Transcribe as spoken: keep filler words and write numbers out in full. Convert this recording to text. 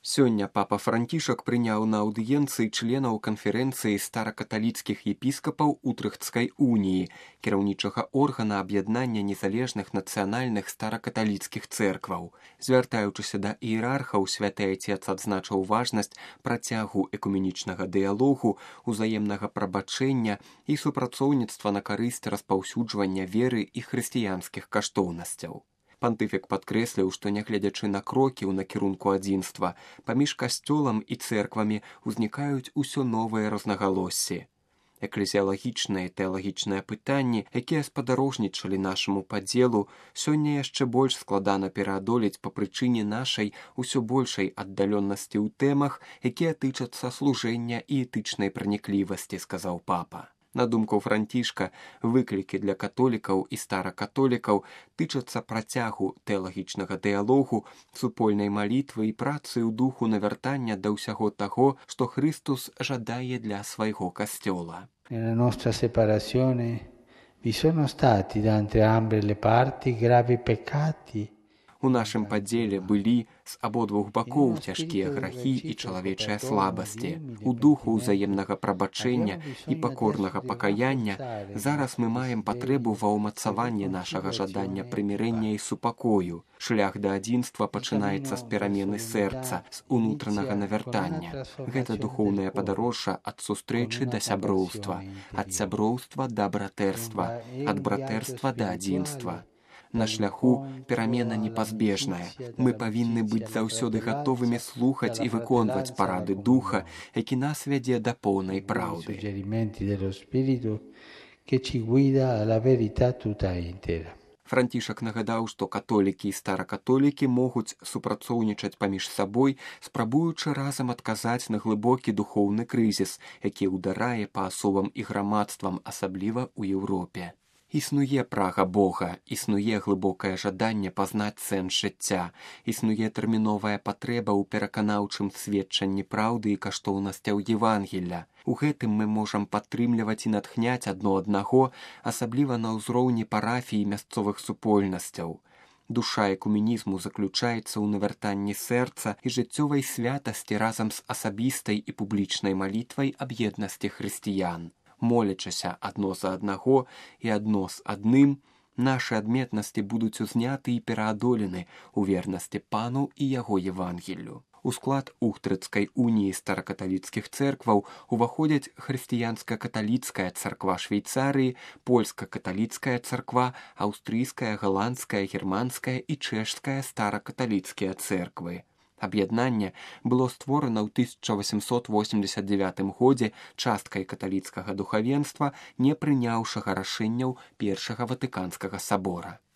Сёння папа Францішак прыняў на аўдыенцыі членаў канферэнцыі старакаталіцкіх епіскапаў Утрыхтскай уніі, кіраўнічага органа аб'яднання незалежных нацыянальных старакаталіцкіх цэркваў. Звяртаючыся да іерархаў, святы айцец адзначыў важнасць працягу экуменічнага дыялогу, узаемнага прабачэння і супрацоўніцтва на карысць распаўсюджвання веры і хрысціянскіх каштоўнасцяў. Пантыфік падкрэсліў, што нягледзячы на крокі ў накірунку адзінства, паміж касцёлам і цэрквамі ўзнікаюць усё новыя рознагалоссі. Эклезіялагічныя і тэалагічныя пытанні, якія спадарожнічалі нашаму падзелу, сёння яшчэ больш складана пераадолець па прычыне нашай усё большай аддаленнасці ў тэмах, якія тычацца служэння і этычнай праніклівасці, сказаў папа. На думку Францішка, выклікі для католікаў і старакатолікаў тычацца працягу тэалагічнага дыялогу, супольнай малітвы і працы ў духу навяртання да ўсяго таго, што Христус жадае для свайго касцёла. Nella nostra separazione vi sono stati da entrambe le parti gravi peccati. У нашым падзеле былі з абодвух бакоў цяжкія грахі і чалавечыя слабасці. У духу ўзаемнага прабачэння і пакорнага пакаяння зараз мы маем патрэбу ва ўмацаванні нашага жадання прымірэння і супакою. Шлях да адзінства пачынаецца з перамены сэрца, з унутранага навяртання. Гэта духоўнае падарожжа ад сустрэчы да сяброўства, ад сяброўства да братэрства, ад братэрства да адзінства. На шляху перамена непазбежная. Мы павінны быць заўсёды гатовымі слухаць і выконваць парады духа, які нас вядзе да поўнай праўды. Францішак нагадаў, што католікі і старакатолікі могуць супрацоўнічаць паміж сабой, спрабуючы разам адказаць на глыбокі духоўны крызіс, які ўдарае па асобам і грамадствам, асабліва ў Еўропе. Існуе прага Бога, існуе глыбокае жаданне пазнаць сэнс жыцця, існуе тэрміновая патрэба ў пераканаўчым сведчанні праўды і каштоўнасцяў Евангелля. У гэтым мы можам падтрымліваць і натхняць адно аднаго, асабліва на ўзроўні парафій і мясцовых супольнасцяў. Душа экуменізму заключаецца ў навяртанні сэрца і жыццёвай святасці разам з асабістай і публічнай малітвай аб еднасці хрысціян. Молячыся адно за аднаго і адно з адным, нашы адметнасці будуць узняты і пераадолены ў вернасці пану і яго Евангеллю. У склад Ухтрыцкай уніі старакаталіцкіх цэркваў уваходзяць хрысціянска-каталіцкая царква Швейцарыі, польска-каталіцкая царква, аўстрыйская, галандская, германская і чэшская старакаталіцкія цэрквы. Аб'яднанне было створана ў тысяча васемсот восемьдесят девятым годзе часткай каталіцкага духавенства, не прыняўшага рашэнняў першага ватыканскага сабора.